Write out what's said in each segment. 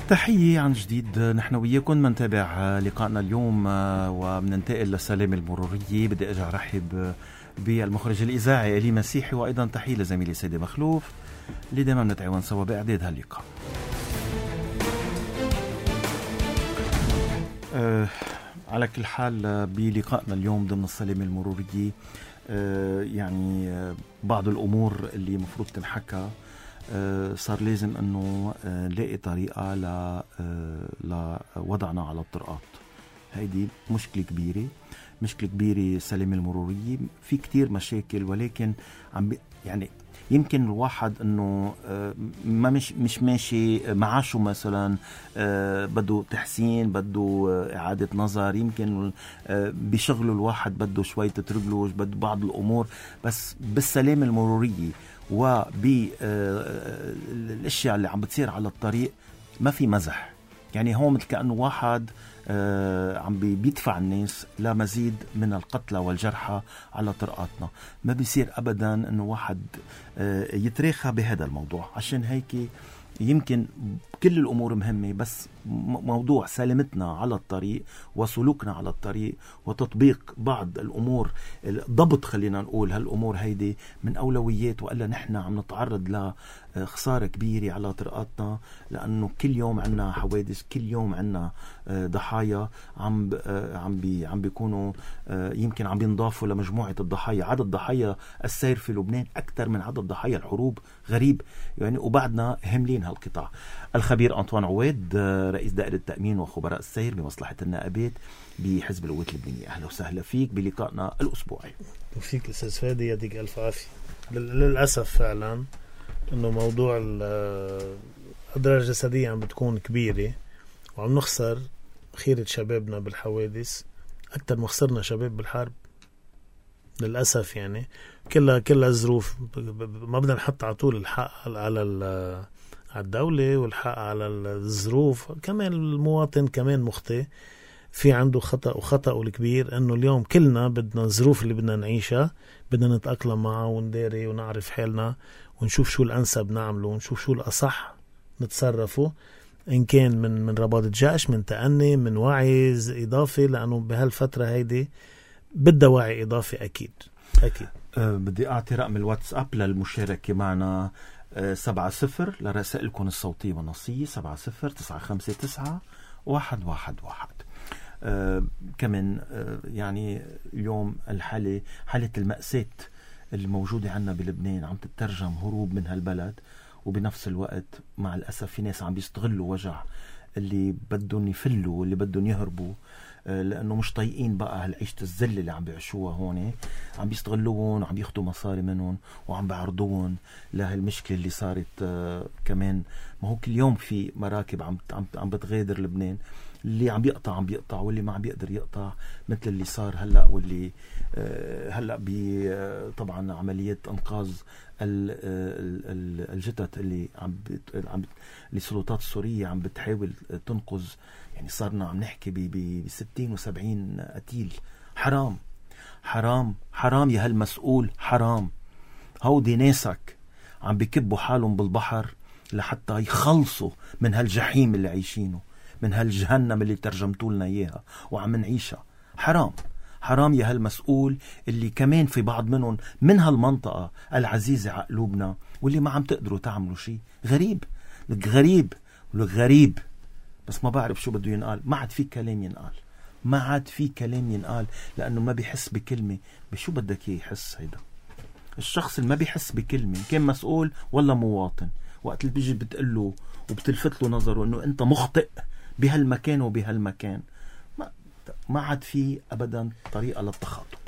تحية عن جديد. نحن وياكم منتابع لقائنا اليوم ومننتقل للسلامة المرورية. بدي أرجع رحب بالمخرج الإذاعي إلي مسيحي، وأيضا تحية لزميلي سيدي مخلوف اللي دائما نتعاون سوا بإعداد هاللقاء. على كل حال بلقائنا اليوم ضمن السلامة المرورية يعني بعض الأمور اللي مفروض تنحكى صار لازم أنه نلاقي طريقة لوضعنا على الطرقات. هيدي مشكلة كبيرة السلامة المرورية. في كتير مشاكل، ولكن يعني يمكن الواحد أنه ما مش ماشي معاشه مثلا، بده تحسين، بده إعادة نظر، يمكن بشغله الواحد بده شوية تترجلوش، بده بعض الأمور. بس بالسلامة المرورية وبالاشياء اللي عم بتصير على الطريق ما في مزح. يعني هو مثل كأنه واحد عم بيدفع الناس لمزيد من القتلى والجرحى على طرقاتنا. ما بيصير أبدا أنه واحد يتراخى بهذا الموضوع. عشان هيك يمكن كل الأمور مهمة، بس موضوع سلامتنا على الطريق وسلوكنا على الطريق وتطبيق بعض الأمور، ضبط خلينا نقول هالأمور هيدي من أولويات، وإلا نحن عم نتعرض لخسارة كبيرة على طرقاتنا، لأنه كل يوم عنا حوادث، كل يوم عنا ضحايا عم بيكونوا يمكن عم بينضافوا لمجموعة الضحايا. عدد ضحايا السير في لبنان أكثر من عدد ضحايا الحروب، غريب يعني، وبعدنا هملين هالقطاع. الخبير أنطوان عواد رئيس دائرة التأمين وخبراء السير بمصلحة النائبات بحزب القوات اللبنانية، أهلا وسهلا فيك بلقائنا الأسبوعي. وفيك أستاذ فادي، يديك ألف عافية. للأسف فعلا أنه موضوع الأضرار الجسدية عم بتكون كبيرة، وعم نخسر خيرة شبابنا بالحوادث أكتر ما خسرنا شباب بالحرب للأسف. يعني كلها ظروف. ما بدنا نحط على طول الحق على الدولة والحق على الظروف. كمان المواطن كمان مخطئ، في عنده خطأ الكبير أنه اليوم كلنا بدنا الظروف اللي بدنا نعيشها بدنا نتأقلم معها ونداري ونعرف حالنا ونشوف شو الأنسب نعمله ونشوف شو الأصح نتصرفه، إن كان من رباط جيش، من تأني، من وعي إضافي، لأنه بهالفترة هيدي بدها وعي إضافي أكيد. بدي أعطي رقم الواتساب للمشاركة معنا 70 لرسائلكم الصوتية والنصية 70-959-111. كمان يعني اليوم حالة المأساة اللي موجودة عنا بلبنان عم تترجم هروب من هالبلد، وبنفس الوقت مع الأسف في ناس عم بيستغلوا وجع اللي بدهم يفلوا واللي بدهم يهربوا، لأنه مش طايقين بقى هالعيشة الذل اللي عم بيعيشوها هون. عم بيستغلوهم وعم بياخدوا مصاري منهم وعم بعرضوهم لهالمشكلة اللي صارت. كمان ما هو كل يوم في مراكب عم بتغادر لبنان، اللي عم بيقطع واللي ما عم بيقدر يقطع، مثل اللي صار هلأ واللي هلأ طبعا عملية انقاذ الجثث اللي السلطات السورية عم بتحاول تنقذ. يعني صارنا عم نحكي ب60 و70 قتيل. حرام يا هالمسؤول، حرام. هودي ناسك عم بيكبوا حالهم بالبحر لحتى يخلصوا من هالجحيم اللي عايشينه، من هالجهنم اللي ترجمتوا لنا إياها وعم نعيشها. حرام يا هالمسؤول اللي كمان في بعض منهم من هالمنطقة العزيزة على قلوبنا واللي ما عم تقدروا تعملوا شيء. غريب. بس ما بعرف شو بده ينقال. ما عاد في كلام ينقال لأنه ما بيحس بكلمة. بشو بدك يحس هيدا الشخص اللي ما بيحس بكلمة، كان مسؤول ولا مواطن؟ وقت اللي بيجي بتقله وبتلفت له نظره انه انت مخطئ بهالمكان وبهالمكان، ما عاد في ابدا طريقة للتخاطب.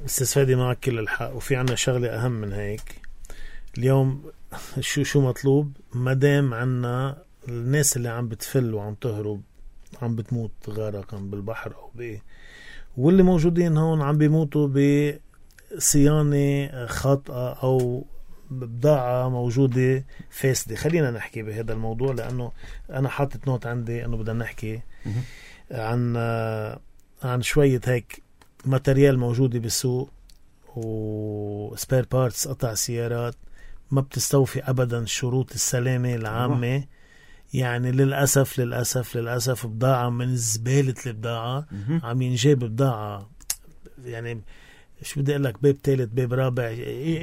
استاذ فادي معك كل الحق، وفي عنا شغلة اهم من هيك اليوم. شو مطلوب؟ مدام عنا الناس اللي عم بتفل وعم تهرب عم بتموت غرقا بالبحر او واللي موجودين هون عم بيموتوا بصيانة خاطئة او بضاعة موجودة فاسدة. خلينا نحكي بهذا الموضوع، لأنه أنا حاطت نوت عندي أنه بدنا نحكي عن شوية هيك ماتريال موجودة بالسوق وسبير بارتس، قطع سيارات ما بتستوفي أبدا شروط السلامة العامة. يعني للأسف بضاعة من زبالة البضاعة عم ينجاب بضاعة، يعني شو بدي أقول لك، باب ثالث باب رابع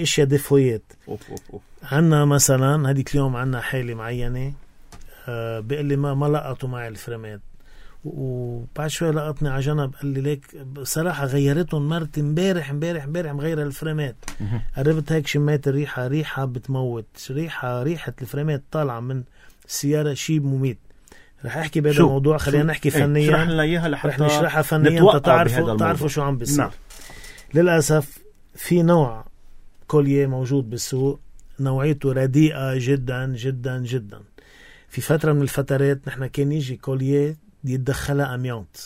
اشياء دفويات. عنا مثلا هديك اليوم عنا حالة معينة بيقول لي ما لقطوا معي الفريمات، وبعد شوي لقطني على جنب قال لي ليك صراحة غيرتهم مرتي امبارح مغيرة الفريمات. قربت هيك شميت الريحة بتموت، ريحة الفريمات طالعة من السيارة شيء مميت. رح احكي بهذا الموضوع، خلينا نحكي فنيا، رح نشرحها فنيا تعرفوا شو عم بيصير. للأسف في نوع كوليه موجود بالسوق نوعيته رديئة جدا جدا جدا. في فترة من الفترات نحن كان يجي كوليه يتدخلها أميونت،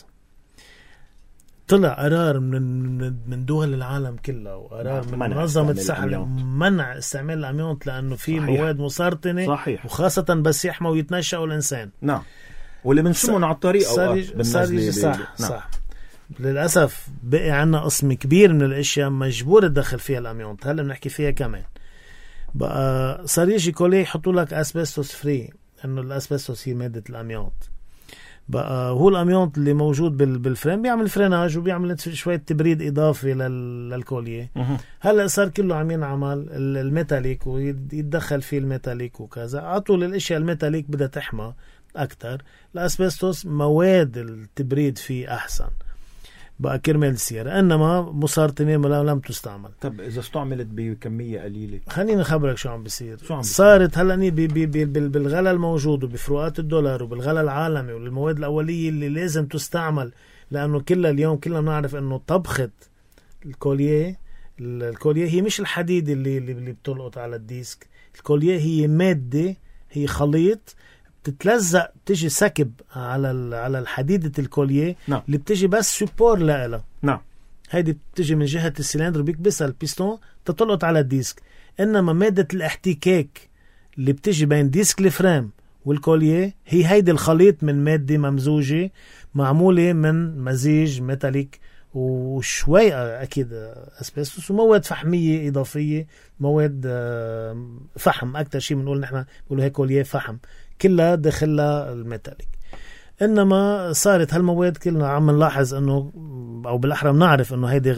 طلع قرار من دول العالم كلها وقرار من منظمة الصحة منع استعمال الأميونت لأنه في مواد مسرطنة. صحيح. وخاصة بس يحموا ويتنشأوا الإنسان، نعم، واللي بنشمهم على الطريق صح. للأسف بقي عنا قسم كبير من الأشياء مجبور تدخل فيها الأميونت، هلا بنحكي فيها كمان. بقى صار يجي كوليه يحطوا لك أسبستوس فري، إنه الأسبستوس هي مادة الأميونت. بقى هو الأميونت اللي موجود بالفريم بيعمل فريناج وبيعمل شوية تبريد إضافي للكوليه. هلا صار كله عم ينعمل الميتاليك ويتدخل فيه الميتاليك وكذا، عطول الأشياء الميتاليك بدها تحمى أكتر. الأسبستوس مواد التبريد فيه أحسن بقى كرمال السيارة، إنما مسرطنة لم تستعمل. طب إذا استعملت بكمية قليلة، خليني أخبرك شو عم بيصير. صارت هلأ بالغلاء الموجود وبفروقات الدولار وبالغلاء العالمي والمواد الأولية اللي لازم تستعمل، لأنه اليوم كلنا نعرف إنه طبخة الكوليه هي مش الحديد اللي بتلقط على الديسك. الكوليه هي مادة، هي خليط تتلزق، تجي سكب على الحديدة الكوليه. نعم. اللي بتجي بس سوبور لها. نعم. هيدي بتجي من جهة السلندر بيكبسها البيستون تطلقت على الديسك. إنما مادة الاحتكاك اللي بتجي بين ديسك الفريم والكوليه هي هيدي الخليط من مادة ممزوجة معمولة من مزيج ميتاليك وشوي أكيد أسبستوس ومواد فحمية إضافية، مواد فحم أكتر شيء بنقول نحن بنقول هيك كوليه فحم، كلها داخلها الميتاليك. إنما صارت هالمواد كلنا عم نلاحظ إنه، أو بالأحرى بنعرف إنه هيدي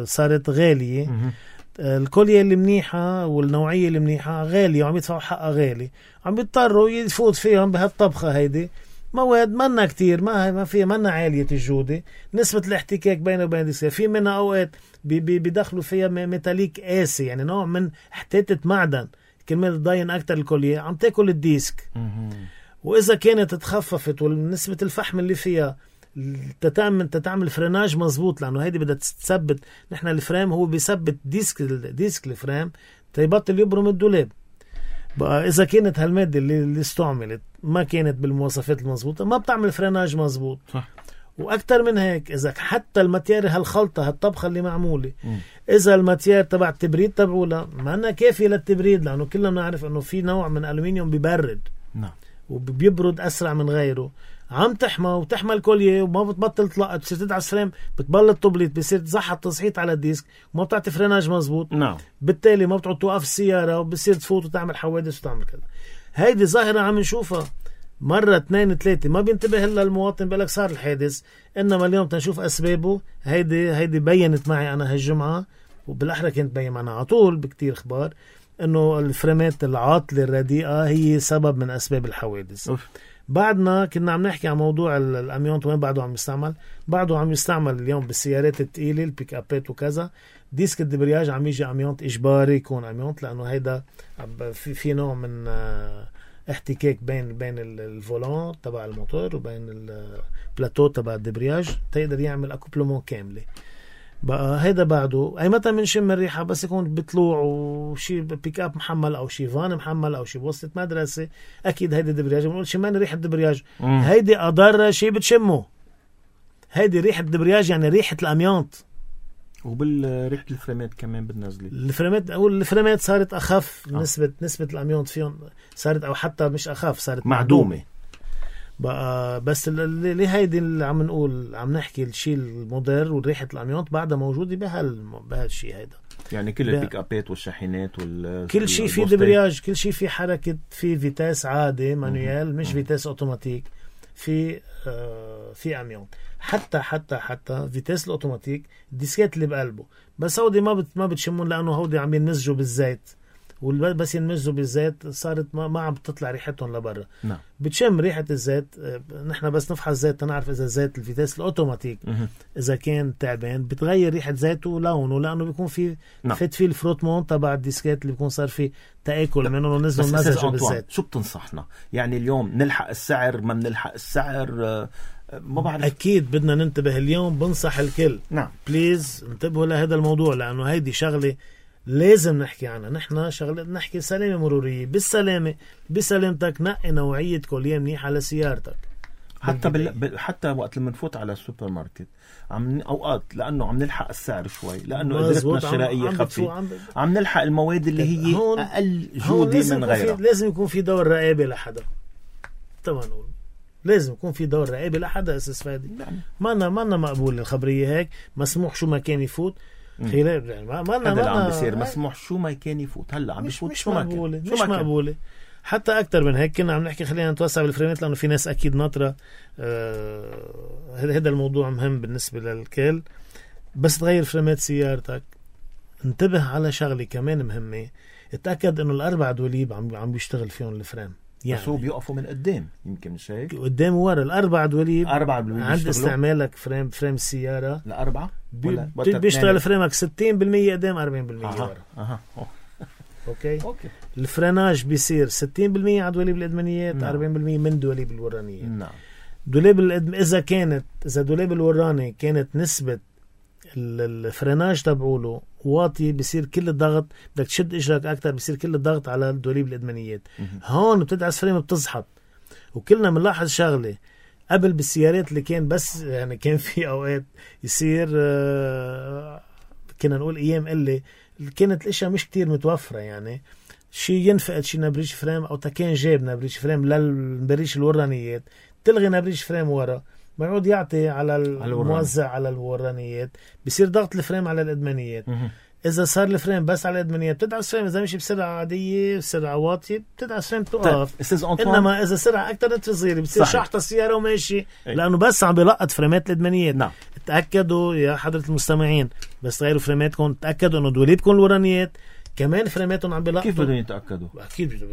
صارت غالية. الكوليه اللي منيحة والنوعية اللي منيحة غالية وعم يدفعوا حقها غالي، عم بيضطروا يفوت فيهم بهالطبخة. هيدي مواد منا كتير، ما فيها، منا عالية الجودة. نسبة الاحتكاك بينه وبين السيارة في منها أوقات بيدخلوا فيها ميتاليك قاسي، يعني نوع من حتاتة معدن كرمال تضاين أكتر الكوليه، عم تاكل الديسك. وإذا كانت تخففت ونسبة الفحم اللي فيها تتعمل فريناج مزبوط، لأنه هيدي بدها تثبت. نحن الفريم هو بيثبت ديسك الفريم تيبطل يبرم الدولاب. بقى إذا كانت هالمادة اللي استعملت ما كانت بالمواصفات المزبوطة ما بتعمل فريناج مزبوط. صح. وأكتر من هيك، إذا حتى الماتيار هالخلطة هالطبخة اللي معمولة إذا الماتيار تبع التبريد تبعولا ما أنا كافية للتبريد، لأنه كلنا نعرف أنه في نوع من ألومنيوم بيبرد. نعم. وبيبرد أسرع من غيره، عم تحمى وتحمى الكوليه وما بتبطل تلقط، بتصير تدعس فريم بتبلط تبليط، بصير تزحط تصحيط على الديسك وما بتعطي فريناج مزبوط. نعم. بالتالي ما بتقعد توقف السيارة وبصير تفوت وتعمل حوادث وتعمل كذا. هيدي ظاهرة عم نشوفها مرة 2 3، ما بينتبه إلا المواطن بيقولك صار الحادث. إنما اليوم تنشوف أسبابه. هيدي بينت معي أنا هالجمعة، وبالأحرى كنت بين معنا على طول بكتير أخبار إنه الفريمات العاطلة الرديئة هي سبب من أسباب الحوادث. بعدنا كنا عم نحكي عن موضوع الأميونت وين بعده عم يستعمل اليوم بالسيارات الثقيلة البيك أبات وكذا. ديسك الدبرياج عم يجي أميونت إجباري يكون أميونت، لأنه هيدا في نوع من احتكاك بين الفولان تبع الموتور وبين البلاتو تبع الدبرياج تقدر يعمل أكوبلمون كاملة. بقى هيدا بعده أي متى منشم الريحة بس يكون بطلوع وشي بيك اب محمل أو شي فان محمل أو شي بوسطة مدرسة، أكيد هيدا دبرياج. بنقول شمان ريحة دبرياج، هيدي أضر شي بتشمه. هيدي ريحة دبرياج يعني ريحة الأميونت. وبالريحة الفريمات كمان بتنزلي الفريمات صارت أخف. نسبة الأميونت فيهم صارت، أو حتى مش أخف، صارت معدومة. بقى بس اللي هيدي اللي عم نقول عم نحكي الشيء المضر وريحة الأميونت بعدها موجودة بهالشيء هيدا. يعني كل البيك ابات والشاحنات كل شيء في دبرياج، كل شيء في حركة، في فيتاس عادي مانويال مش فيتاس اوتوماتيك، في عميان. حتى فيتاس الاوتوماتيك الديسكات اللي بقلبه بس هودي ما بتشمون لانه هودي عم ينمزجوا بالزيت، بس ينمزجوا بالزيت صارت ما عم بتطلع ريحتهم لبرا. نعم. بتشم ريحة الزيت. نحن بس نفحص الزيت تنعرف اذا الزيت الفيتاس الاوتوماتيك اذا كان تعبان بتغير ريحة زيته ولونه، لانه بيكون في فت فيه الفروتمون تبع الديسكات اللي بيكون صار فيه تآكل منه ونزلوا مزجوا بالزيت. شو بتنصحنا يعني اليوم؟ نلحق السعر ما بنلحق السعر؟ ما بعرف. اكيد بدنا ننتبه اليوم، بنصح الكل نعم بليز انتبهوا لهذا الموضوع، لانه هيدي شغله لازم نحكي عنها. نحن شغله نحكي سلامه مروريه، بسلامتك نقي نوعيه كوليه منيحه لسيارتك. حتى وقت لما نفوت على السوبر ماركت اوقات لانه عم نلحق السعر شوي، لانه قدرتنا الشرائيه خفيفه، عم نلحق المواد اللي هي اقل جوده من غيرها. لازم يكون في دور رقابه لحدا. طبعا نقول لازم يكون في دور رقابه لحدا. اساس فادي ما مقبول الخبريه هيك مسموح شو ما كان يفوت. خلال يعني هذا عم بيصير مسموح شو ما كان يفوت. هلا عم بيفوت مش مقبوله، مش مقبوله. حتى اكثر من هيك كنا عم نحكي خلينا نتوسع بالفريمات، لانه في ناس اكيد ناطره. هذا الموضوع مهم بالنسبه للكل. بس تغير فريمات سيارتك انتبه على شغله كمان مهمه، اتاكد انه الاربع دوليب عم بيشتغل فيهم الفريم. يعني بس هو بيوقفوا من قدام، يمكن مش هيك؟ قدام وورا الاربع دوليب عند استعمالك فريم السياره الاربعه بيشتغل فريمك 60% قدام 40% ورا. اوكي الفريناج بيصير 60% على دواليب الادمانيات، 40% من دواليب الورانيه. نعم. دولاب اذا دولاب الوراني كانت نسبه الفريناج تبعوله واطي، بيصير كل الضغط، بدك تشد اجرك اكثر، بيصير كل الضغط على الدوليب الادمانيات. هون بتدعس فريم بتزحط. وكلنا بنلاحظ شغله قبل بالسيارات اللي كان بس يعني كان في اوقات يصير كنا نقول ايام اللي كانت الاشياء مش كتير متوفره، يعني شي ينفقد شي نبريش فريم او تكان جاب نبريش فريم للنبريش الورانيات، تلغي نبريش فريم ورا، بيعود يعطي على الموزع على الورانيات، بيصير ضغط الفريم على الادمانيات. اذا صار الفريم بس على الادمانيات بتدعس فريم، اذا مشي بسرعه عاديه بسرعه واطيه بتدعس فريم توقف. انما اذا سرعه اكثر تصير بتصير شحطه السياره وماشي، لانه بس عم بيلقط فريمات الادمانيات. نعم. تاكدوا يا حضره المستمعين بس غيروا فريماتكم، تاكدوا انه دوليبكم الورانيات كمان فريماتهم عم بيلقطوا. كيف بدهم يتاكدوا؟ اكيد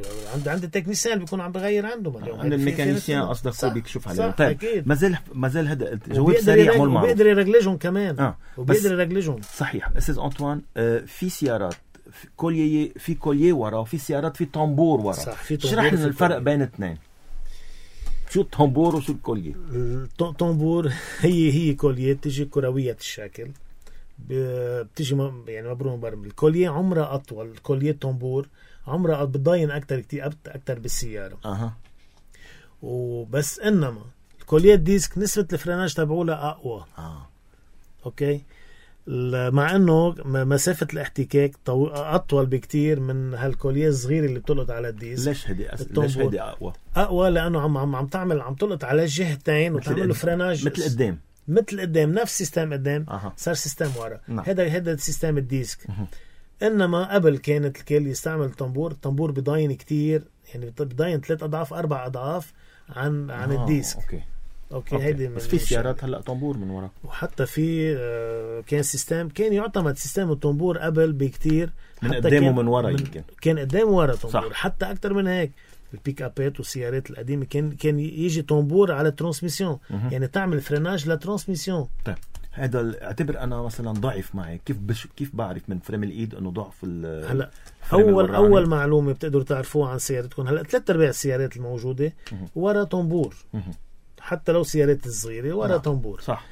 عند التكنيسيان بيكون عم بغير عندهم اليوم، عند الميكانيسيان قصدك هو بيكشف عليه. طيب مازال هذا الجواب سريع مول معروف، وبيقدر يرجلهم كمان وبيقدر يرجلهم. صحيح استاذ انطوان. في سيارات في كوليه ورا، وفي سيارات في طنبور ورا. اشرح لنا الفرق بين الاثنين. شو الطنبور وشو الكوليه؟ الطنبور هي كوليه بتيجي كرويه الشكل، بتيجي يعني مبروم برم. الكوليه عمرها اطول، الكوليه الطنبور عمرها بتضاين اكثر كتير اكثر بالسياره. وبس انما الكوليه الديسك نسبه الفريناج تبعولها اقوى. اوكي، مع انه مسافه الاحتكاك اطول بكتير من هالكوليه الصغيره اللي بتلقط على الديسك. ليش هدي اقوى؟ لانه عم تلقط على الجهتين وتعمل له فريناج مثل قدام نفس سيستم قدام. صار سيستم ورا. هذا سيستم الديسك. انما قبل كانت الكل يستعمل الطنبور بضاين كتير، يعني بضاين 3 أضعاف 4 أضعاف عن الديسك. اوكي هيدي. بس في سيارات هلا طنبور من ورا، وحتى في كان سيستم كان يعتمد سيستم الطنبور قبل بكتير من قدام ومن ورا. يمكن كان قدام ورا طنبور، حتى اكثر من هيك. البيك ابات والسيارات القديمه كان يجي طنبور على الترانسميسيون، يعني تعمل فريناج للترانسميسيون. طيب هذا اعتبر انا مثلا ضعف معي، كيف بعرف من فريم الايد انه ضعف هلا اول معلومه بتقدروا تعرفوها عن سيارتكم. هلا 3/4 السيارات الموجوده ورا طنبور، حتى لو سيارات الصغيره ورا طنبور. صح.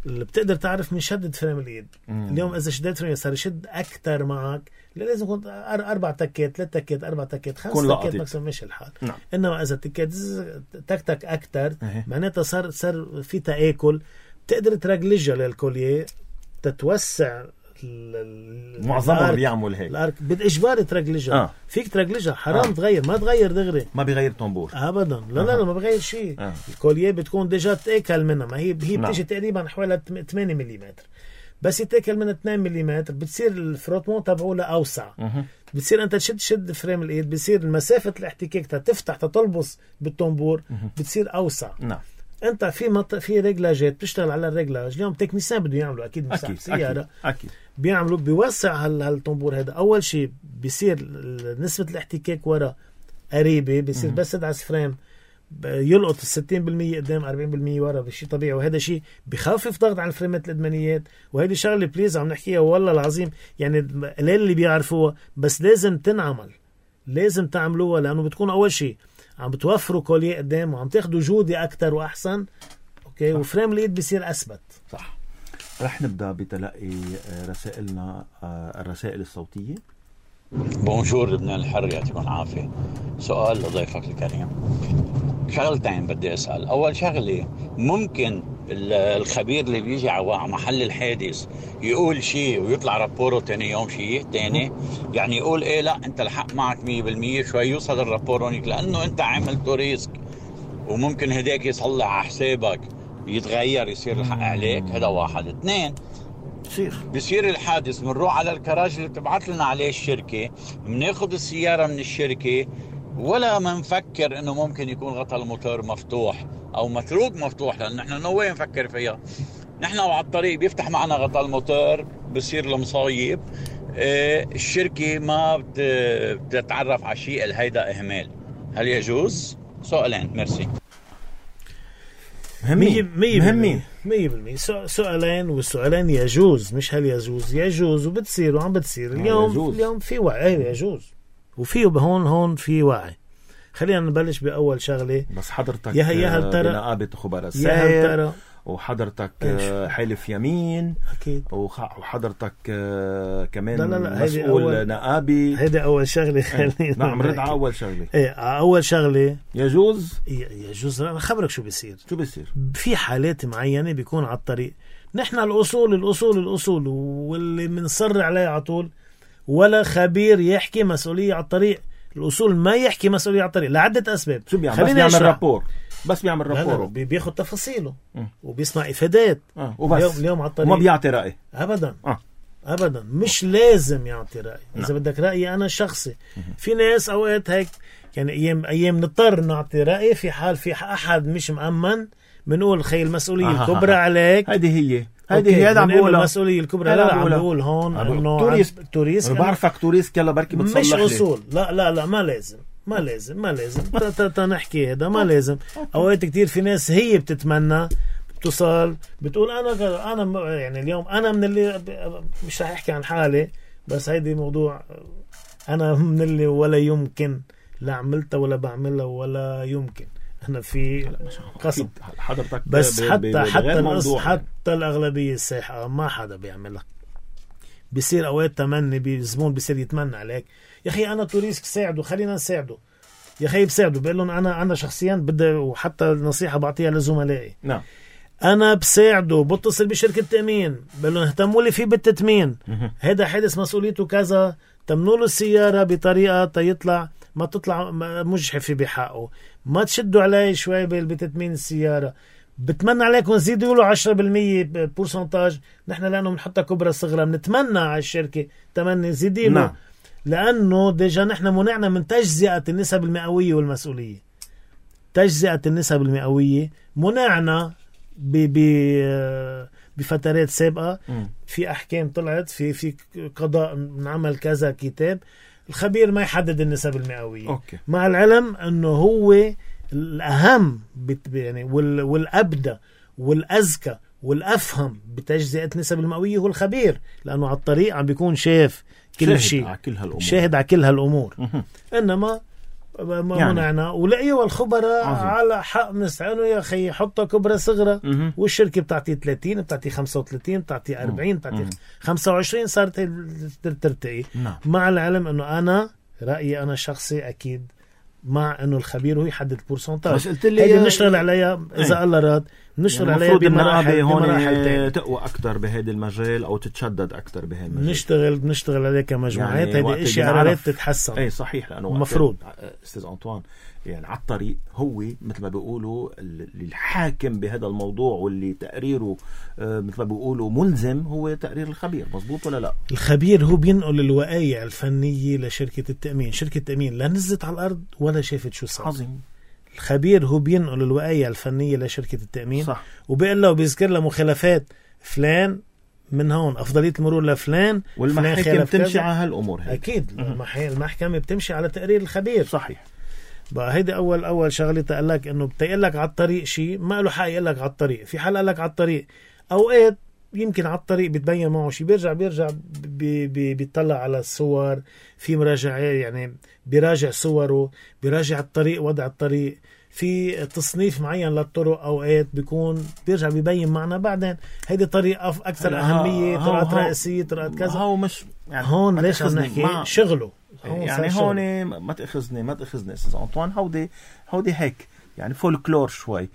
اللي بتقدر تعرف من شدة فريم اليد. اليوم اذا شديت فريم صار يشد اكثر معك، لازم يكون 4 تكات 3 تكات 4 تكات 5 تكات ماكسيموم مش الحال. انما اذا تكات تك اكثر معناتها صار في تآكل. بتقدر ترجلجها للكوليه تتوسع. معظمهم بيعمل هيك. الارك بالاجبار ترجلجها. فيك ترجلجها، حرام تغير، ما تغير دغري، ما بيغير طنبور ابدا. لا ما بغير شيء. الكوليه بتكون ديجا تاكل منها، ما هي بتيجي تقريبا حوالي 8 ملم. بس يتاكل من 2 ملم بتصير الفروتمون تبعه لأوسع. بتصير أنت تشد فريم الإيد، بتصير مسافة الاحتكاك تفتح تطلبس بالطنبور بتصير أوسع. نعم. أنت في رجلاجات بتشتغل على الرجلاج اليوم، تكنيسيان بده يعملوا أكيد مساحة سيارة أكيد بيعملوا بيوسع هالطنبور هذا. أول شيء بيصير نسبة الاحتكاك ورا قريبة، بيصير بس تدعس فريم يلقط 60% قدام 40% ورا بشي طبيعي، وهذا شيء بخفف ضغط على الفريمات الإدمانيات. وهذه شغلة بليز عم نحكيها والله العظيم يعني قليل اللي بيعرفوها، بس لازم تنعمل، لازم تعملوها، لأنه بتكون أول شيء عم بتوفروا كوليه قدام وعم تاخدوا جودة أكتر وأحسن. أوكي. وفريم الإيد بيصير أثبت. صح. رح نبدأ بتلقي رسائلنا، الرسائل الصوتية. بونجور لبنان الحر، يعطيكم العافية. سؤال لضيفك الكريم، شغلتين بدي أسأل. أول شغلة، ممكن الخبير اللي بيجي على محل الحادث يقول شيء ويطلع رابوره تاني يوم شيء تاني؟ يعني يقول إيه لا أنت الحق معك 100%، شوي يوصل الرابور هونيك لأنه أنت عملتوا ريسك، وممكن هداك يصلح على حسابك يتغير يصير الحق عليك. هذا واحد. 2، بيصير الحادث بنروح على الكراج اللي بتبعت لنا عليه الشركة، بناخد السيارة من الشركة ولا منفكر انه ممكن يكون غطاء الموتور مفتوح او متروك مفتوح، لان نحن نوين نفكر فيها. نحن وعلى الطريق بيفتح معنا غطاء الموتور، بصير المصايب. الشركة ما بتتعرف على شيء، الهيدا اهمال. هل يجوز؟ سؤالين. ميرسي. مهمين 100%. سؤالين، والسؤالين يجوز، مش هل يجوز، يجوز وبتصير وعم بتصير اليوم في وعي. يجوز وفيه هون في وعي. خلينا نبلش بأول شغلة. بس حضرتك يا ترى بنقابة خبراء السير، وحضرتك حلف يمين أكيد، وحضرتك كمان لا مسؤول نقابي. هيدا أول شغلة. خلينا نعم رد على أول شغلة. أول شغلة يجوز. أنا خبرك شو بيصير. في حالات معينة بيكون على الطريق نحن الأصول واللي منصر عليه على طول، ولا خبير يحكي مسؤولية على الطريق. الأصول ما يحكي مسؤولية على الطريق لعدة أسباب. شو بيعمل؟ بس بيعمل رابور. بياخد تفاصيله وبيسمع إفادات وبس. اليوم على الطريق وما بيعطي رأي أبدا. مش لازم يعطي رأي. إذا بدك رأيي أنا الشخصي. في ناس أوقات هيك يعني أيام نضطر نعطي رأي في حال في أحد مش مأمن، بنقول خي المسؤولية الكبرى عليك. هذه عم بقول المسؤولية الكبرى. لا عم بقول هون انه توريست. بعرفك توريست يلا بركي بتصلح مش اصول. لا ما لازم تنحكي هذا ما لازم. اوقات كتير في ناس هي بتتمنى بتصل بتقول انا يعني اليوم انا من اللي مش رح احكي عن حالي، بس هيدي موضوع انا من اللي ولا يمكن لا عملتها ولا بعملها ولا يمكن. احنا في قسم حضرتك بس حتى الأغلبية الساحقة ما حدا بيعملها. بيصير أوقات تمني بزبون بيصير يتمنى عليك، يا أخي أنا توريسك ساعده، خلينا نساعده يا أخي. بساعده بقول لهم أنا شخصيا بدي، وحتى النصيحة بعطيها لزملائي. نعم أنا بساعده، بتصل بشركة تأمين بقول لهم اهتموا لي فيه بالتتمين، هذا حادث مسؤوليته كذا، تمنوا له السيارة بطريقة تيطلع ما تطلع مجحفة بحقه، ما تشدوا عليه شوي بتتمين السيارة. بتمنى عليكم زيدوا له 10% بورسنتاج. نحن لأنه بنحطها كبرى صغرى بنتمنى على الشركة تمني زيدي له. نعم. لأنه ديجا نحن منعنا من تجزئة النسب المئوية والمسؤولية. تجزئة النسب المئوية منعنا بفترات سابقة. في أحكام طلعت في قضاء نعمل كذا كتاب الخبير ما يحدد النسب المئوية. أوكي. مع العلم أنه هو الأهم يعني والأبدى والأذكى والأفهم بتجزئة النسب المئوية هو الخبير، لأنه على الطريق عم بيكون شاف كل شيء، شاهد على كل هالأمور. إنما ما يعني منعنا ولقيوا الخبراء على حق نستعينوا يا أخي حطها كبرى صغرى. والشركة بتعطي 30 بتعطي 35 بتعطي 40 بتعطي 25 صارت ترتقي. مع العلم أنه أنا رأيي أنا الشخصي أكيد مع أنه الخبير هو يحدد البورسنتاج. بس قلت لي هيدي نشتغل عليها إذا الله راد، نشتغل عليها بمراحل تقوى أكتر بهذا المجال أو تتشدد أكتر بهذا المجال. نشتغل عليها كمجموعات. يعني هيدي إشي عرفت تتحسن. أي صحيح، لأنه مفروض أستاذ أنطوان يعني على الطريق هو مثل ما بيقولوا الحاكم بهذا الموضوع، واللي تقريره مثل ما بيقولوا ملزم هو تقرير الخبير. مزبوط ولا لا؟ الخبير هو بينقل الوقايع الفنية لشركة التأمين. شركة التأمين لا نزلت على الأرض ولا شافت شو صار. عظيم. الخبير هو بينقل الوقايع الفنية لشركة التأمين، صح. وبيقول له وبيذكر له مخالفات فلان من هون، أفضلية المرور لفلان، والمحاكم تمشي على هالأمور هاي. أكيد المحكمة بتمشي على تقرير الخبير. صحيح. بقى هيدي أول شغلة تقول لك إنه بتقول لك على الطريق شيء ما له حق يقول لك على الطريق. في حال قال لك على الطريق، أوقات يمكن على الطريق بتبين معه شيء، بيرجع بيطلع على الصور، في مراجعة يعني بيراجع صوره، بيراجع الطريق، وضع الطريق، في تصنيف معين للطرق. أوقات بيكون بيرجع بيبين معنا بعدين هيدي طريق أكثر أهمية، طرقات رئيسية، طرقات كذا. هو مش يعني هون ليش عم نحكي شغله يعني هون ما تأخذني أستاذ أنطوان، هودي هيك يعني فولكلور شوي.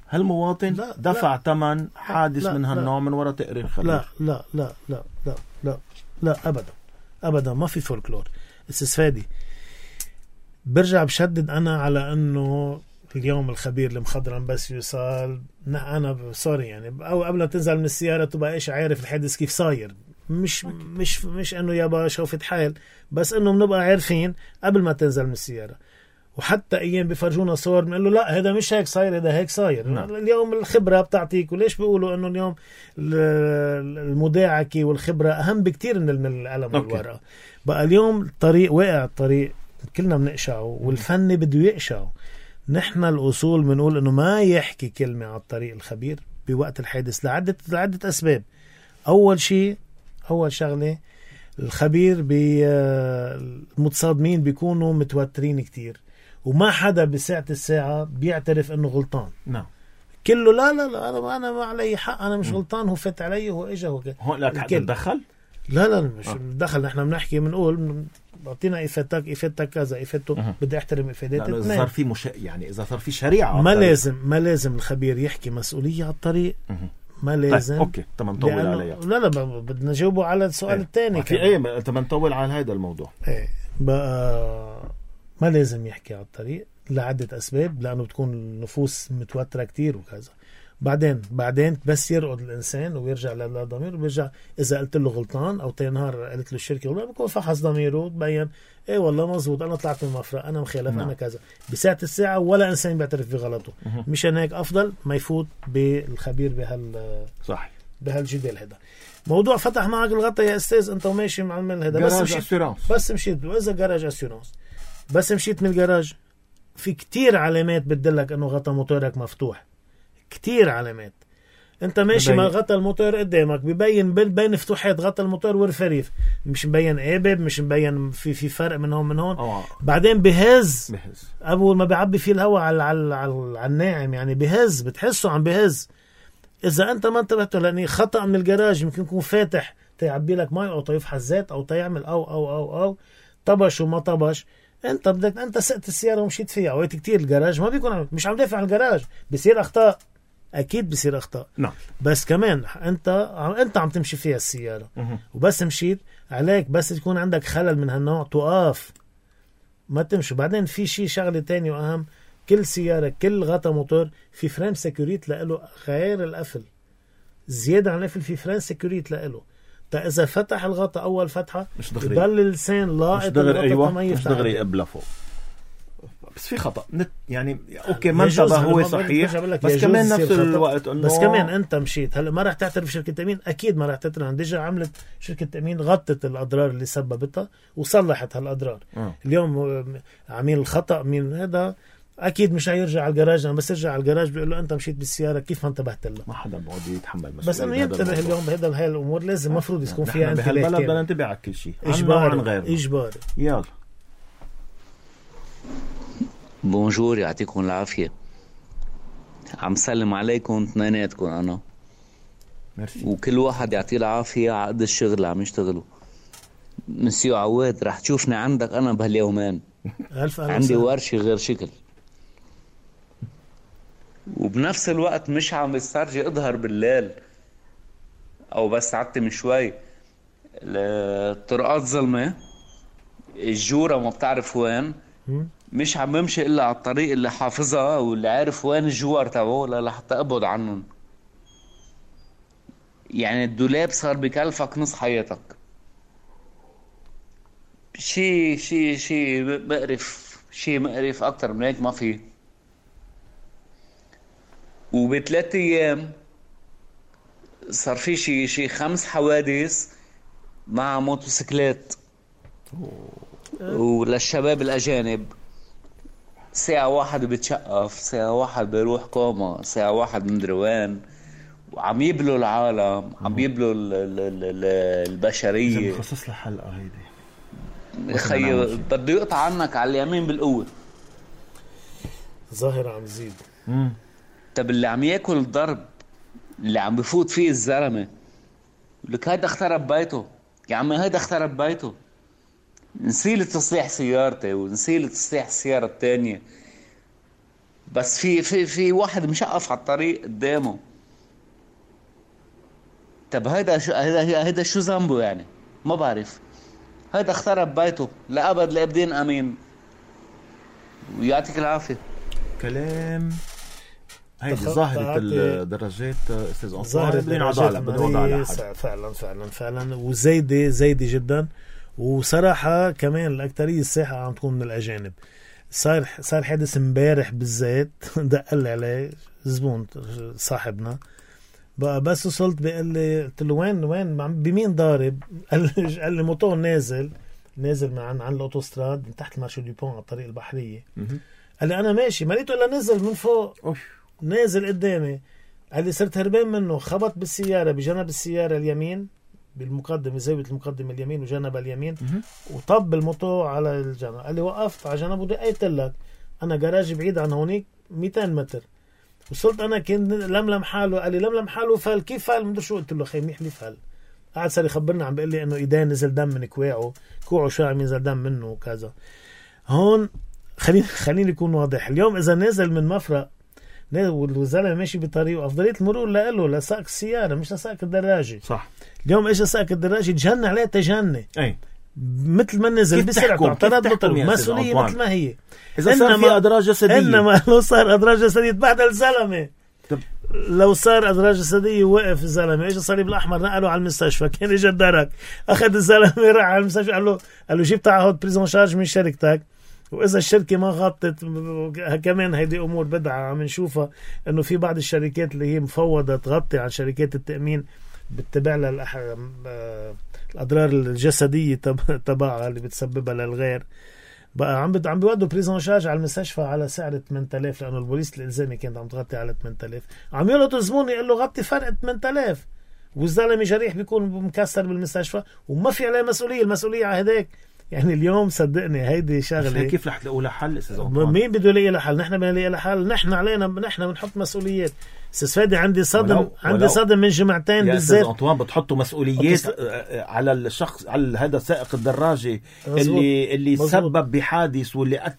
هالمواطن دفع ثمن حادث من هالنوع من وراء تقرير خبير. لا لا لا لا لا لا لا أبدا ما في فولكلور. أستاذ فادي برجع بشدد أنا على أنه اليوم الخبير المخضرم بس يوصل، أنا سوري يعني، أو قبل ما تنزل من السيارة تبقى إيش عارف الحادث كيف صاير. مش إنه يابا شوفت حال، بس إنه بنبقى عارفين قبل ما تنزل من السيارة. وحتى أيام بيفرجونا صور بنقول له لا هذا مش هيك صاير، هذا هيك صاير. نعم. اليوم الخبرة بتعطيك. وليش بيقولوا إنه اليوم المداعكة والخبرة أهم بكتير من القلم والورقة. بقى اليوم الطريق واقع، الطريق كلنا بنقشعه، والفن بده يقشعه. نحن الأصول بنقول إنه ما يحكي كلمة على الطريق الخبير بوقت الحادث لعدة أسباب. أول شغلة الخبير المتصادمين بيكونوا متوترين كتير، وما حدا بساعة الساعة بيعترف إنه غلطان. نعم. كله لا أنا ما علي حق، أنا مش غلطان، هو فات علي، هو إجا، هو كده. هون لك حد تدخل؟ لا مش دخل. نحن بنحكي بنقول أعطينا إفادتك كذا، إفادته بدي أحترم إفاداتك. إذا صار في يعني إذا صار في شريعة ما لازم الخبير يحكي مسؤولية على الطريق. ما لازم. طيب. أوكي تمام، نطول عليها. لا بدنا نجاوبه على السؤال الثاني. في تمام نطول على هذا الموضوع. بقى ما لازم يحكي على الطريق لعدة أسباب، لأنه بتكون النفوس متوترة كتير وكذا. بعدين بس يرقد الإنسان ويرجع للضمير، وبيرجع إذا قلت له غلطان أو تنهار قلت له الشركة غلطان، بيكون فحص ضميره تبين إيه والله مزبوط، أنا طلعت من المفرق، أنا مخالف، أنا كذا. بساعة الساعة ولا إنسان بيعترف بغلطه. مشان هيك أفضل ما يفوت بالخبير بهالجدال هذا. موضوع فتح معك الغطا يا أستاذ، أنت وماشي مع المال هذا، بس مشيت وإذا جراج أسيورانس، بس مشيت من الجراج، في كتير علامات بتدلك أنه غطا موتورك مفتوح. كتير علامات. انت ماشي مع غطا الموتور قدامك ببين بين فتوحات غطا الموتور والرفريف، مش مبين قابب، مش مبين في فرق من هون. بعدين بهز اول ما بيعبي فيه الهواء على الناعم، يعني بهز، بتحسه عم بهز. اذا انت ما انتبهت، لاني خطأ من الجراج يمكن يكون فاتح تيعبي لك مي او تيفحص زيت او تيعمل او طبش وما طبش، انت سقت السياره ومشيت فيها. اوقات كتير الجراج ما بيكون مش عم دافع عن الجراج، بيصير اخطاء، اكيد بيصير اخطاء. نعم. بس كمان انت عم تمشي فيها السياره وبس مشيت عليك، بس تكون عندك خلل من هالنوع توقف، ما تمشي. بعدين في شغله تاني واهم، كل سياره، كل غطا موتور في فريم سيكوريت له، غير القفل زياده عن القفل، في فريم سيكوريت له. اذا فتح الغطا اول فتحه يضل اللسان لاقط الغطا، مش دغري قبل فوق. بس في خطأ يعني اوكي ما انتبه هو صحيح، بس كمان نفس الوقت انه بس كمان انت مشيت هلا ما راح تعترف شركة تأمين، اكيد ما راح تعترف. ديجا عملت شركة تأمين غطت الاضرار اللي سببتها وصلحت هالاضرار. اليوم عميل الخطأ من هذا اكيد مش هيرجع على الجراج، بس يرجع على الجراج بيقول له انت مشيت بالسياره كيف ما انتبهت له. ما حدا بقعد يتحمل مسؤوليه، بس انه ينتبه اليوم بهذا هاي الامور، لازم مفروض يكون فيها انتباه. بهالبلد بدنا ننتبه على كل شيء، اجباري. يلا بونجور، يعطيكم العافيه. عم سلم عليكم اثنيناتكم انا. ميرسي. وكل واحد يعطيه العافيه على قد الشغل اللي عم يشتغله. مسيو عواد رح تشوفني عندك انا بهاليومين. عندي ورشة غير شكل، وبنفس الوقت مش عم بسترجي اظهر بالليل او بس عتم شوي. الطرقات ظلمة، الجورة ما بتعرف وين، مش عم بمشي الا على الطريق اللي حافظها واللي عارف وين الجوار تبعه لحتى اقبض عنهم. يعني الدولاب صار بكلفك نص حياتك. شي مقرف اكتر من هيك ما في. وب3 ايام صار في شي 5 حوادث مع موتوسيكلات وللشباب الاجانب. ساعة واحد بتشقف، ساعة واحد بيروح كوما، ساعة واحد مدري وين، وعم يبلوا العالم، عم يبلوا البشرية. خصص لها حلقة هيدي خي بده يقطع عنك على اليمين بالقوة. ظاهرة عم تزيد. طب اللي عم ياكل الضرب اللي عم بفوت فيه الزلمة لك هيدا اخترب بيته. يا عمي هيدا اخترب بيته. نسيل تصليح سيارتي ونسيل تصليح السيارة التانية، بس في واحد مشقف على الطريق قدامه. طب هيدا شو ذنبه يعني؟ ما بعرف. هيدا اخترب بيته لأبد لأبدين أمين. ويعطيك العافية. كلام هيدي ظاهرة الدراجات استاذ أنطوان. ظاهرة الدراجات فعلا وزايدة جدا. وصراحة كمان الأكترية الساحة عم تكون من الأجانب. صار حادث امبارح بالذات دقل عليه زبون صاحبنا بقى، بس وصلت بقال لي، قلت له وين بمين ضارب؟ قال لي موتور نازل من عن الأوتوستراد من تحت المارشو دي بون على الطريق البحرية. قال لي أنا ماشي ما لقيته إلا نزل من فوق. نازل قدامي. قال لي صرت هربان منه، خبط بالسيارة بجنب السيارة اليمين بالمقدمة، زاوية المقدمة اليمين وجنب اليمين، وطب الموتور على الجنب. قال لي وقفت على جنب ودقيت لك، أنا جراج بعيد عن هونيك 200 متر. وصلت أنا كنت لملم حاله. قال لي لملم حاله فال. كيف فال؟ مدري شو. قلت له خي منيح لي فال. قاعد صار يخبرني عم بيقول لي إنه إيدين نزل دم من كوعه شو عم ينزل دم منه وكذا. هون خليني يكون واضح. اليوم إذا نازل من مفرق والزلمه ماشي بطريقه، افضليه المرور له لسائق السياره مش لسائق الدراجه. صح. اليوم اجى سائق الدراجه تجنن عليه تجني. اي مثل ما نزل بسرعه اعترض له مسؤوليه مثل ما هي. اذا صار في ادراج جسديه، انما لو صار ادراج جسديه تبهدل الزلمه. لو صار ادراج جسديه وقف الزلمه، اجى الصليب الاحمر نقله على المستشفى، كان اجى الدرك اخذ الزلمه راح على المستشفى، قال له جيب تعهد بريزون شارج من شركتك، واذا الشركه ما غطت كمان هيدي امور بدعه عم نشوفها، انه في بعض الشركات اللي هي مفوضه تغطي عن شركات التامين بتتبع لها الاضرار الجسديه تبعها اللي بتسببها للغير. بقى عم بيودوا بريزون شارج على المستشفى على سعر 8000، لانه البوليس الالزامي كانت عم تغطي على 8000. عم يلقطوا زبون يقول له غطي فرق 8000، والزلمه جريح بيكون مكسر بالمستشفى وما في عليه مسؤوليه. المسؤوليه على هداك. يعني اليوم صدقني هيدي شغله كيف رح تلاقوا لها حل استاذ أنطوان؟ مين بده يلاقي لها حل؟ نحن بدنا نلاقي لها حل. نحن علينا، نحن بنحط مسؤوليات. استاذ فادي عندي صدم من جمعتين بالذات. يا استاذ أنطوان بتحطوا مسؤوليات على الشخص، على هذا سائق الدراجه اللي سبب بحادث واللي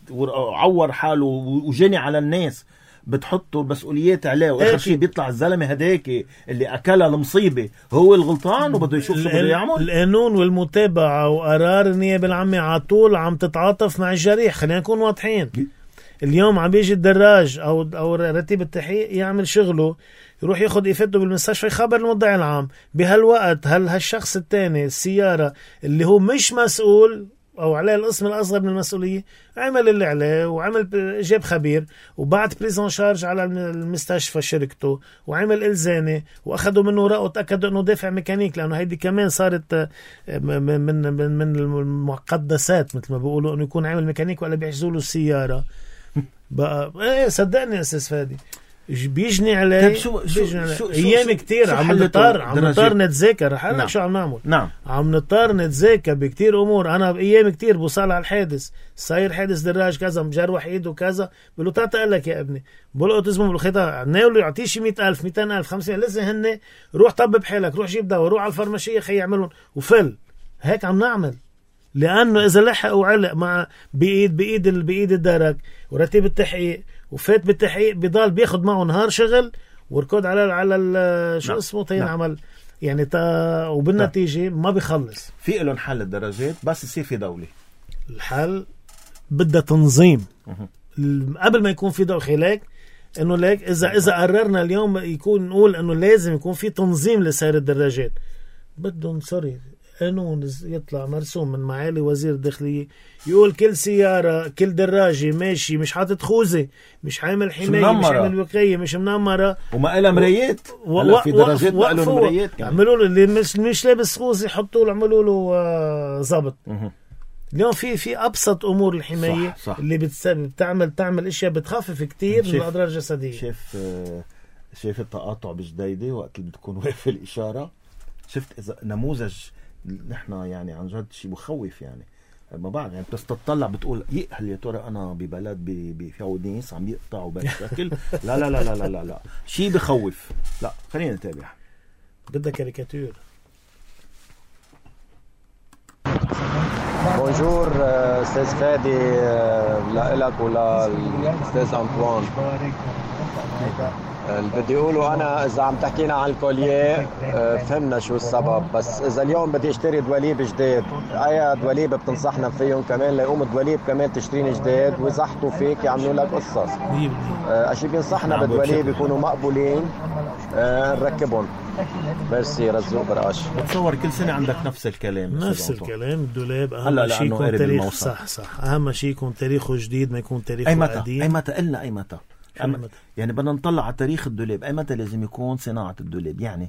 عور حاله وجني على الناس، بتحطوا المسؤوليات عليه، واخر شيء بيطلع الزلمه هداك اللي اكلها المصيبه هو الغلطان وبده يشوف شو بده يعمل. القانون والمتابعه وقرار النيابه العامه على طول عم تتعاطف مع الجريح. خلينا نكون واضحين. اليوم عم بيجي الدراج او رتيب التحقيق يعمل شغله، يروح ياخذ افادته بالمستشفى، يخبر المدعي العام. بهالوقت هل هالشخص الثاني السياره اللي هو مش مسؤول او عليه القسم الاصغر من المسؤوليه عمل اللي عليه، وعمل جاب خبير وبعت بريزون شارج على المستشفى شركته، وعمل الزامي واخذوا منه ورقه وتاكدوا انه دافع ميكانيك، لانه هيدي كمان صارت من المقدسات مثل ما بيقولوا، انه يكون عامل ميكانيك ولا بيحجزوا له السياره. بقى ايه صدقني يا استاذ فادي بيجني عليه. ايام كتير عم نضطر نتذاكر. رح اقول شو عم نعمل. عم نضطر نتذاكر بكتير امور. انا بايام كتير بوصل على الحادث، صاير حادث دراج كذا، مجروح ايده كذا، بقول له تعال لك يا ابني، بقول له اسمه بالخيطه ناوله يعطيه شي 100,000 200,000 500، لازم هن روح طبب حالك، روح جيب دواء، روح على الفارماسيه خي يعملون وفل. هيك عم نعمل، لانه اذا لحق وعلق مع بايد الدرك ورتيب التحقيق وفات بالتحقيق، بضل بياخد معه نهار شغل وركض على شو اسمه عمل يعني وبالنتيجه ما بيخلص. في لهم حل الدراجات بس يصير في دولة. الحل بدها تنظيم قبل ما يكون في دخل لك انه ليك اذا قررنا اليوم يكون نقول انه لازم يكون في تنظيم لسير الدراجات، بدهم قانون يطلع مرسوم من معالي وزير الداخلية يقول كل سيارة كل دراجة ماشي مش حاطط خوذة، مش عامل حماية، مش عامل وقاية، مش منمرة وما إلها مرايات. هلا في دراجات ما لهم مرايات كمان. عملوا له اللي مش لابس خوذة حطوا له عملوا له ضبط. اليوم في ابسط امور الحمايه صح. اللي بتعمل اشياء بتخفف كتير من الاضرار الجسديه. شايف التقاطع بجديدة وقت اللي بتكون واقف الاشاره، شفت اذا نموذج نحن يعني عن جد شيء بخوف. يعني ما بعرف يعني بس تطلع بتقول هل يا ترى انا ببلد في ناس عم يقطعوا بهالشكل؟ لا لا لا لا لا لا شيء بخوف. لا خلينا نتابع. بدها كاريكاتير. بونجور استاذ فادي، لك وللاستاذ انطوان. اللي بدي اقوله انا اذا عم تحكينا عن الكوليه فهمنا شو السبب، بس اذا اليوم بدي اشتري دواليب جديد اي دواليب بتنصحنا فيهم كمان ليقوم الدواليب كمان تشترين جديد ويزحطوا فيك يعملوا لك قصص؟ اشي بينصحنا بالدواليب يكونوا مقبولين نركبهم. ميرسي رزوق برقاش. بتصور كل سنة عندك نفس الكلام. نفس الكلام. الدولاب اهم شيء يكون تاريخ صح اهم شيء يكون تاريخه جديد، ما يكون تاريخه قديم. اي متى قلنا اي متى يعني بدنا نطلع على تاريخ الدولاب، اي متى لازم يكون صناعة الدولاب؟ يعني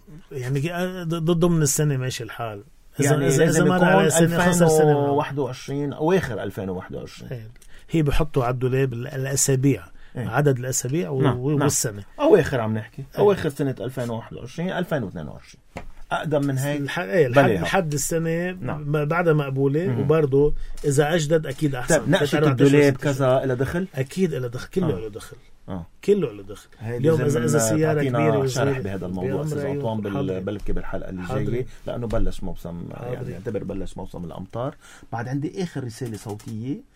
ضمن السنة ماشي الحال. إذا مر على سنة 2021 أواخر 2021 هي بحطوا على الدولاب الأسابيع عدد الأسابيع والسنة أواخر عم نحكي أواخر سنة 2021 2022 أقدم من هيك لحد السنة بعدها مقبولة. وبرضه إذا أجدد أكيد أحسن. نقشة الدولاب كذا إلى دخل؟ أكيد إلى دخل. كله له دخل. كله له دخل. اليوم إذا سيارة كبيرة شرح بهذا الموضوع أستاذ أنطوان بلكي بالحلقة اللي جاية، لأنه بلش موسم يعني يعتبر بلش موسم الأمطار. بعد عندي آخر رسالة صوتية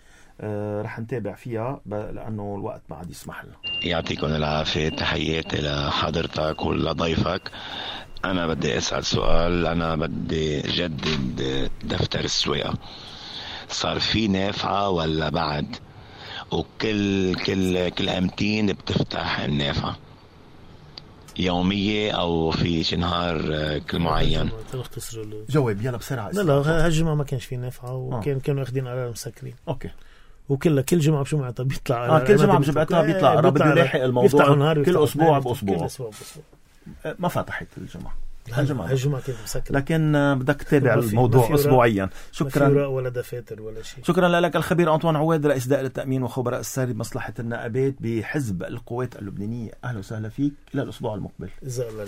رح نتابع فيها لأنه الوقت ما عاد يسمح لنا. يعطيكم العافية، تحياتي لحضرتك ولضيفك. أنا بدي أسأل سؤال. أنا بدي جدد دفتر السواقة، صار في نافعة ولا بعد؟ وكل أمتين بتفتح النافعة يومية أو في نهار كل معين؟ جواب يلا بسرعة. لا هالجمعة ما كانش في نافعة وكانوا واخدين قرار مسكرين. أوكي. وكل جمعة بشو معناتها بيطلع كل جمعة بجمعتها بيطلع بده يلاحق الموضوع كل أسبوع بأسبوع. ما فتحت الجمعة هالجمعة كانت مسكرة، لكن بدك تتابع الموضوع أسبوعيا. شكرا. ما في ولا دفاتر ولا شيء. شكرا لك الخبير أنطوان عواد، رئيس دائرة التأمين وخبراء الساري بمصلحة النقابات بحزب القوات اللبنانية. أهلا وسهلا فيك. إلى الأسبوع المقبل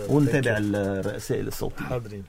ونتابع الرسائل الصوتية. حاضرين.